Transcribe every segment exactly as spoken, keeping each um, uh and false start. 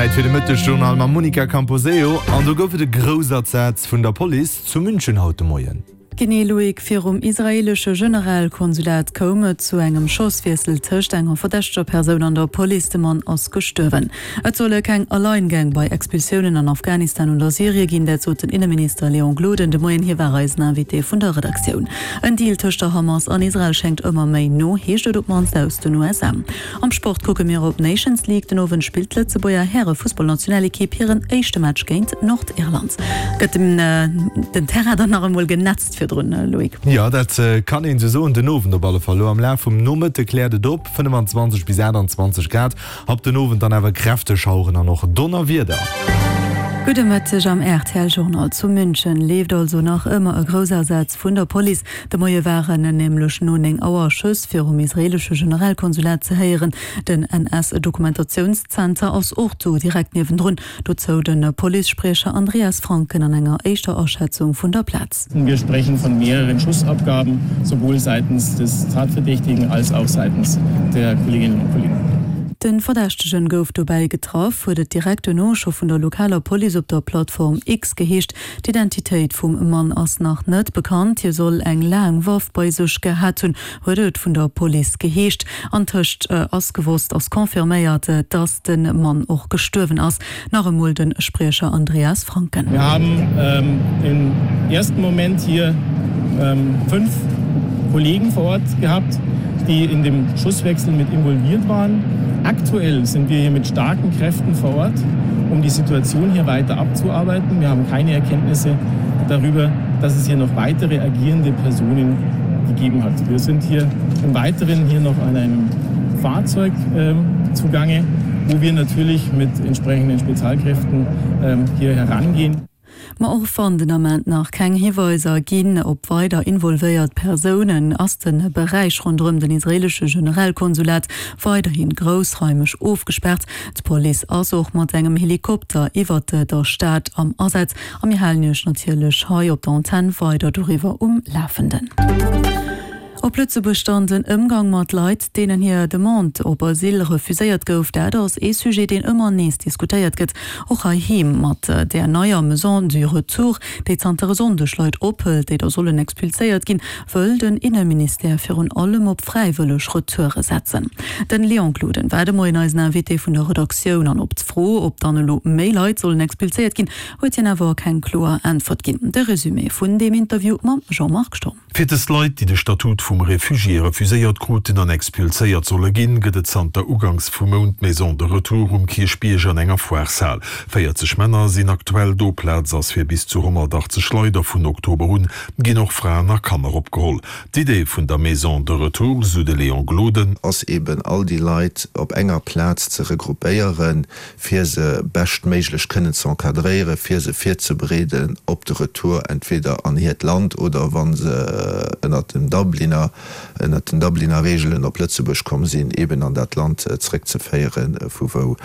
Zäit fir de Mëttesjournal mam Monica Camposeo. An do gouf et e Groussasaz vun der Police zu München haut de Moien. Genee Loïc, virum israeelesche Generalkonsulat koum et zu engem Schosswiessel tëscht enger verdächteger Persoun an der Police. De Mann ass gestuerwen. Et solle keng Alleingäng bei Expulsiounen an Afghanistan oder Syrie ginn, dat sot den Inneminister Léon Gloden de Moien. Hie war eisen Invité vun der Redaktioun. En Deal tëscht der Hamas an Israel schéngt ëmmer méi no, heescht et op d'mannst aus den U S A. Am Sport kucke mir op d'Nations League. Den Owend spillt d'Lëtzebuerger Härefussballnationalekipp hiren éischte Match géint Nordirland. Gëtt den Terrain dann nach emol genetzt virdrun, Loïc? Jo, dat kann een esou soen. Den Owend op alle Fall. Elo am Laf vum Nomëtte kläert et op, fënnefenzwanzeg bis aachtanzwanzeg Grad, ab den Owend dann awer kräfteg Schaueren an och Donnerwieder. Gudde Mëtteg am R T L Journal. Zu München leeft also nach ëmmer e Groussasaz vun der Police. De Moie waren nämlech no néng Auer Schëss virum israeelesche Generalkonsulat ze héieren. Den N S-Dokumentationszenter ass och do direkt niewendrun. Dozou de Policespriecher Andreas Franken an enger éischter Aschätzung vun der Plaz. Wir sprechen von mehreren Schussabgaben, sowohl seitens des Tatverdächtigen als auch seitens der Kolleginnen und Kollegen. De Verdächtegen gouf dobäi getraff, huet et direkt duerno scho vun der lokaler Police op der Plattform X geheescht. D'Identitéit vum Mann ass nach net bekannt. Hie soll eng laang Waff bei sech gehat hunn, huet et vun der Police geheescht. Antëscht ass gewosst, ass confirméiert, dass de Mann och gestuerwen ass. Nach emol de Spriecher Andreas Franken. Wir haben im ersten Moment hier fünf Kollegen vor Ort gehabt, die in dem Schusswechsel mit involviert waren. Aktuell sind wir hier mit starken Kräften vor Ort, um die Situation hier weiter abzuarbeiten. Wir haben keine Erkenntnisse darüber, dass es hier noch weitere agierende Personen gegeben hat. Wir sind hier im Weiteren hier noch an einem Fahrzeug ähm, zugange, wo wir natürlich mit entsprechenden Spezialkräften ähm, hier herangehen. Ma och wann den Ament nach keng Hiweiser ginn op weider involvéiert Persounen, ass de Beräich ronderëm den israeelesche Generalkonsulat weiderhi groussraimeg ofgespaart. D'Police ass och mat engem Helikopter iwwert der Stad am Asaz a mir halen Iech natierlech hei op der Antenn weider doriwwer um Lafenden. Op Lëtzebuerg dann den Ëmgang mat Leit, deenen hir Demande op Asyl refuséiert gouf, dat ass ee Sujet, deen ëmmer nees diskutéiert gëtt. Och heiheem mat där neier Maison du Retour, déi zanter e Sonndeg Leit ophëlt, déi da sollen expulséiert ginn, wëll den Inneministère virun allem op fräiwëlleg Retoure setzen. Den Léon Gloden war de Moien eisen Invité vun der Redaktioun an op d'Fro, ob dann elo méi Leit sollen expulséiert ginn, huet hien awer keng kloer Äntwert ginn. De Resumé vun deem Interview mam Jean-Marc Sturm. Fir dës Leit, déi de Statut vum Refugié refuséiert kruten an expulséiert solle ginn, gëtt et zanter uganks vum Mount d'Maison de Retour um Kierchbierg an enger Foireshal. véierzeg Männer sinn aktuell do, Plaz ass fir bis zu honnertachtzeg Leit a vun Oktober un ginn och Fraen a Kanner opgeholl. D'Idee vun der Maison de Retour, sou de Léon Gloden, ass eben all déi Leit op enger Plaz ze regroupéieren, fir se beschtméiglech kënnen ze encadréieren, fir se virzebereeden op de Retour entweder an hiert Land oder wa se ënnert dem Dubliner, ënnert den Dubliner Reegelen op Lëtzebuerg komm sinn, eben an dat Land zréckzeféieren, vu wou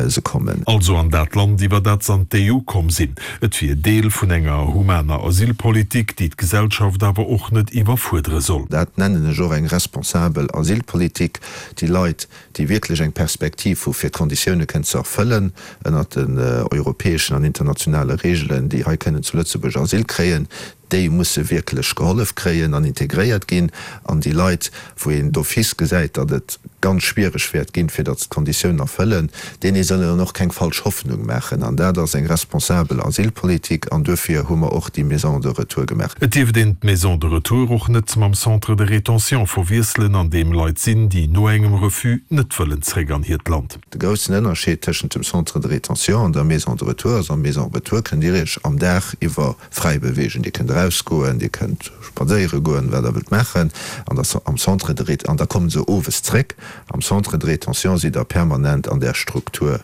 se kommen. Also an dat Land, iwwer dat se an d'E U komm sinn. Et wier Deel vun enger humaner Asylpolitik, déi d'Gesellschaft awer och net iwwerfuerdere soll. Dat nennen ech och eng responsabel Asylpolitik. Déi Leit, déi wierklech eng Perspektiv hu fir d'Konditioune kënnen ze erfëllen ënnert den europäeschen an internationale Reegelen, déi hei kënnen zu Lëtzebuerg Asyl kréien, déi musse wierklech gehollef kréien an integréiert ginn. An déi Leit, wou een d'office gesäit, datt et ganz schwiereg wäert ginn, fir datt se d'Konditiounen erfëllen, deene soll een dann och keng falsch Hoffnung maachen. An dat ass eng responsabel Asylpolitik an duerfir hu mer och déi Maison de retour gemaach. Et dierft een d'Maison de retour och net mam Centre de rétention verwiesselen, an deem Leit sinn, déi no engem Refus net wëllen zréck an hiert Land. De groussen Ënnerscheed tëschent dem Centre de rétention an der Maison de retour ass, Am Maison de retour kënnt Dir Iech am Dag iwwer fräi beweegen. Dir kënnt erausgoen, Dir kënnt spadséiere goen, wat Der wëllt maachen. An der, am Centre de rét, an da komme se owes zréck. Am Centre de rétention sidd Der permanent an där Struktur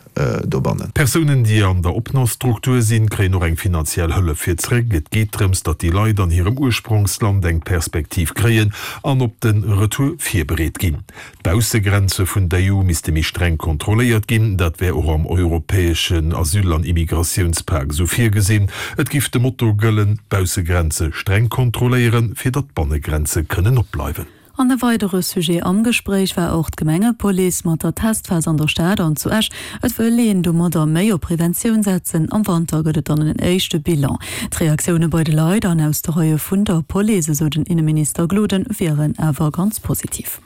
dobannen. Persounen, déi an der Opnamstruktur sinn, kréien och eng finanziell Hëllef fir zréck. Et geet drëms, datt déi Leit an hirem Ursprongsland eng Perspektiv kréien an op de Retour virbereet ginn. D'Baussegrenze vun der E U misste méi streng kontrolléiert ginn. Dat wär och am europäeschen Asyl an Immigratiounspak esou virgesinn. Et giff de Motto gëllen, D'Baussegrenze streng kontrolléieren, fir datt d'Bannegrenze kënnen opbleiwen. An e weidere Sujet am Gespréich war och d'Gemengepolice mat der Testphas an der Stad an zu Esch. Et wëll een domadder méi op Preventioun setzen. Am Wanter gëtt et dann en éischte Bilan. D'Reaktioune bei de Leit an aus de Reie vun der Police, esou den Inneminister Gloden, wieren awer ganz positiv.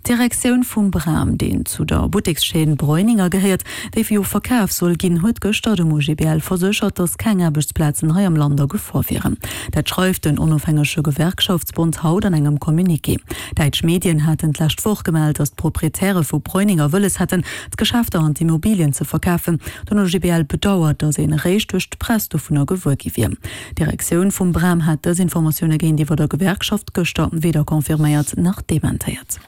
D'Direktioun vum Bram, deen zu der Buttekschaîne Breuninger gehéiert, déi jo verkaf soll ginn, huet gëschter dem OGBL verséchert, datt keng Aarbechtsplazen hei am Land a Gefor wieren. Dat schreift den onofhängege Gewerkschaftsbond haut an engem Communiqué. Däitsch Medien haten d'lescht Woch gemellt, datt d'Proprietäre vu Breuninger wëlles hätten, d'Geschäfter an d'Immobilien ze verkafen. Den OGBL bedauert, datt een eréischt duerch d'Press dovunner gewuer gi wier. D'Direktioun vum Bram hat dës Informatioune géintiwwer der Gewerkschaft gëschter weder confirméiert nach dementéiert.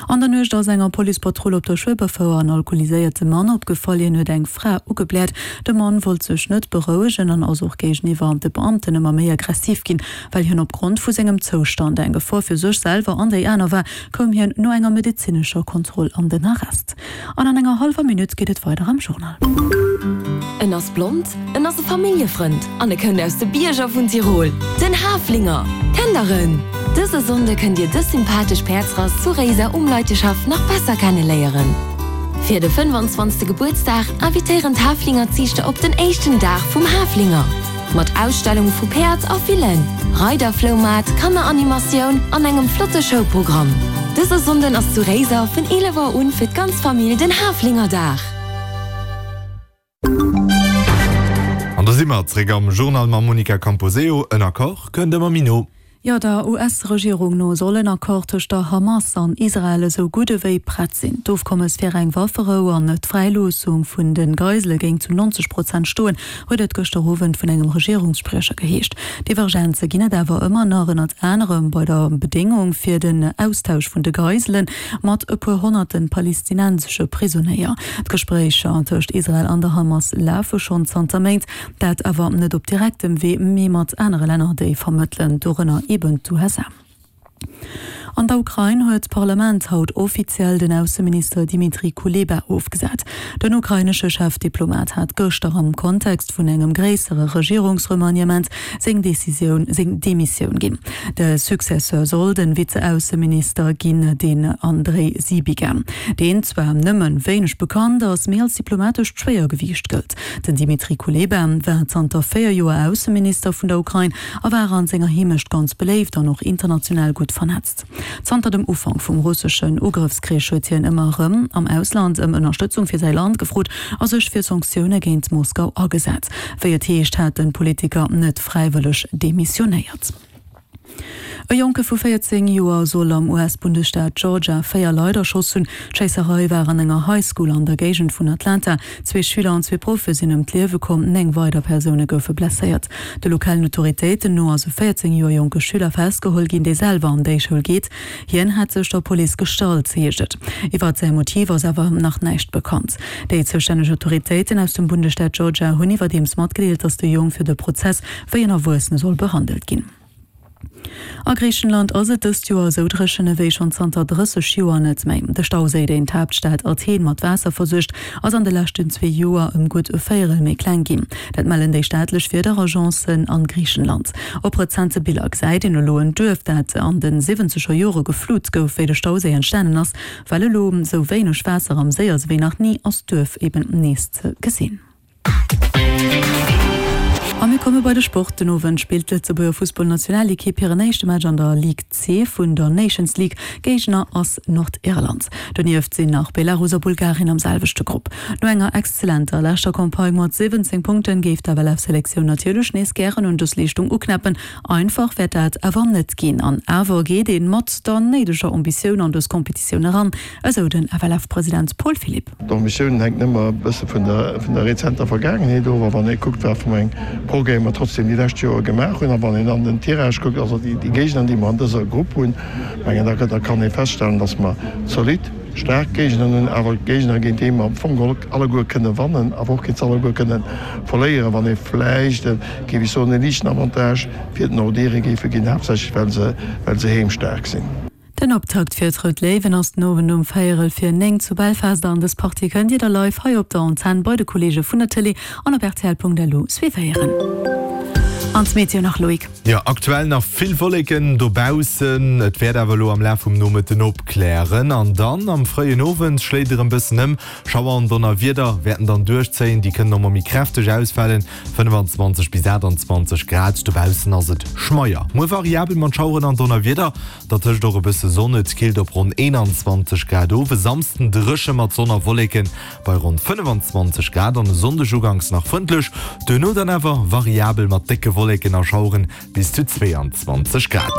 An der Nuecht ass enger Policepatrull op der Schueberfouer en alkoholiséierte Mann opgefall. Hien huet eng Fra ugebläert. De Mann wollt sech net berouegen an ass och géigeniwwer de Beamten ëmmer méi aggressiv ginn. Well hien opgrond vu sengem Zoustand eng Gefor fir sech selwer an déi aner war, koum hien no enger medezinescher Kontroll an den Arrest. An an enger hallwer Minutt geet et weider am Journal. En ass blond, en ass e Familljefrënd an e kënnt aus de Bierger vun Tirol, den Haflinger! Kennt der en? Dëse Sonnde kënnt dir dës sympathesch Päerdsrass zu Réiser um Leiteschhaff nach besser kenne léieren. Fir de fënnefanzwanzegste Gebuertsdag invitéieren d'Haflingerziichter op den éischten Dag vum Haflinger. Mat Ausstellung vu Päerd a Villen, Reiderfloumaart, Kanneranimatioun an engem flotte Showprogramm. Dëse Sonnden ass zu Réiser vun eelef Auer un fir d'ganz Famill den Haflingerdag. An da si mer zréck am Journal mam Monica Camposeo. En Accord kënnt ëmmer méi no. Jo, der U S-Regierung no soll en Accord tëscht der Hamas an Israel esou gutt ewéi prett sinn. D'Ofkommes fir eng Wafferou an d'Fräiloossung vun de Geisele géing zu neunzeg Prozent stoen, huet et gëschter Owend vun engem Regierungsspriecher geheescht. Divergenze ginn et awer ëmmer nach, ënnert anerem bei der Bedéngung fir den Austausch vun de Geisele mat e puer honnerte palestinensesche Prisonéier. D'Gespréicher tëscht Israel an der Hamas lafe schonn zanter Méint, dat awer net op direktem Wee, mee mat anere Länner, déi vermëttelen, dorënner eben d'U S A. An der Ukrain huet d'Parlament haut offiziell den Ausseminister Dmitri Kuleba ofgesat. Den ukrainesche Chefdiplomat hat gëschter am Kontext vun engem gréissere Regierungsremaniement seng Decisioun, seng Demissioun ginn. De Successeur soll den Vize-Ausseminister ginn, den Andrei Sybiga, deen zwar nëmme wéineg bekannt ass, mee als diplomatescht Schwéiergewiicht gëllt. Den Dmitri Kuleba war zanter véier Joer Ausseminister vun der Ukrain a war an senger Heemecht ganz beléift an och international gutt vernetzt. Zanter dem Ufank vum russeschen Ugrëffskrich huet hien ëmmer erëm am Ausland ëm Ënnerstëtzung fir säi Land gefrot a sech fir Sanktioune géint Moskau agesat. Wéi et heescht, hat de Politiker net fräiwëlleg demissionéiert. E Jonke vu véierzéng Joer soll am U S-Bundesstaat Georgia véier Leit erschoss hunn. D'Schéisserei war an enger High School an der Géigend vun Atlanta. Zwee Schüler an zwee Proffe sinn ëm d'Liewe komm, néng weider Persoune goufe blesséiert. De lokalen Autoritéiten no ass e véierzéng Joer jonke Schüler festgeholl ginn, dee selwer an déi Schoul geet. Hien hätt sech der Police gestallt, heescht et. Iwwer säi Motiv ass awer nach näischt bekannt. Déi zoustänneg Autoritéiten aus dem Bundesstaat Georgia hunn iwwerdeems matgedeelt, datt de Jong fir de Prozess wéi en Erwuessene soll behandelt ginn. A Griichenland ass et dëst Joer esou dréchen ewéi schonn zanter drësseg Joer net méi. De Stauséi, deen d'Haaptstad Athen mat Waasser versuergt, ass an de leschten zwee Joer ëm gutt e Véierel méi kleng ginn. Dat mellen déi staatlech Wiederagence an Griichenland. Op rezente Biller gesäit een elo en Duerf, dat an de siwwenzeger Jore geflut gouf, wéi de Stauséi entstanen ass. Well elo esou wéineg Waasser am Séi ass ewéi nach ni, ass d'Duerf eben nees ze gesinn. A mir komme bei de Sport. Den Owend spillt d'Lëtzebuerger Fussballnationalekipp hiren éischte Match an der Ligue C vun der Nations League. Géigner ass Nordirland. Donieft sinn nach Belarus a Bulgarien am selwechte Grupp. No enger exzellenter leschter Campagne mat siwwenzéng Punkten géif d'F L F-Selektioun natierlech nees gären un dës Leeschtung uknäppen. Einfach wäert dat awer net ginn. An awer geet ee mat der néideger Ambitioun an dës Competitioun eran, esou den F L F-President Paul Philipp. D'Ambitioun hänkt ëmmer e bësse vun der vun der rezenter Vergaangenheet of. A wann ee kuckt, wat fir eng Progrès mer trotzdem déi lescht Joer gemaach hunn, a wann een an den Tirage kuckt, also déi déi Géigner, déi mer an dëser Grupp hunn, mengen da da kann ee feststellen, datt mer zolidd, staark Géigner hunn, awer Géigner, géint déi mer am Fong geholl alleguer kënne wannen, awer och géint se alleguer kënne verléieren, wann ee vläicht, géif ech soen, e liichten Avantage fir d'Nordire géife ginn, haaptsächlech well se well se heemstaark sinn. Den Optakt fir d'Rout Léiwen ass den Owend um véierel vir néng zu Belfast an dës Partie kënnt Dir da live hei op der Antenn bei de Kolleege vun der Tëlee an op rtl Punkt lu suivéieren. An d'Meteo nach, Loïc. Jo, aktuell nach vill Wolleken dobaussen, et wäert awer elo am Laf vum Nomëtten opklären an dann am fréien Owend schléit erëm bëssen ëm. Schauer an Donnerwieder wäerten dann duerchzéien, déi kënnen och mol méi kräfteg ausfalen. fënnefanzwanzeg bis aachtanzwanzeg Grad, dobaussen ass et schmeier. Muer variabel mat Schaueren an Donnerwieder, dertëscht och e bësse Sonn, et killt op ronn eenanzwanzeg Grad of. E Samsden dréche mat Sonn a Wolleken bei ronn fënnefanzwanzeg Grad an e Sonndeg uganks nach frëndlech, duerno dann awer variabel mat décke Wolleken a Schaueren bis zu zweeanzwanzeg Grad.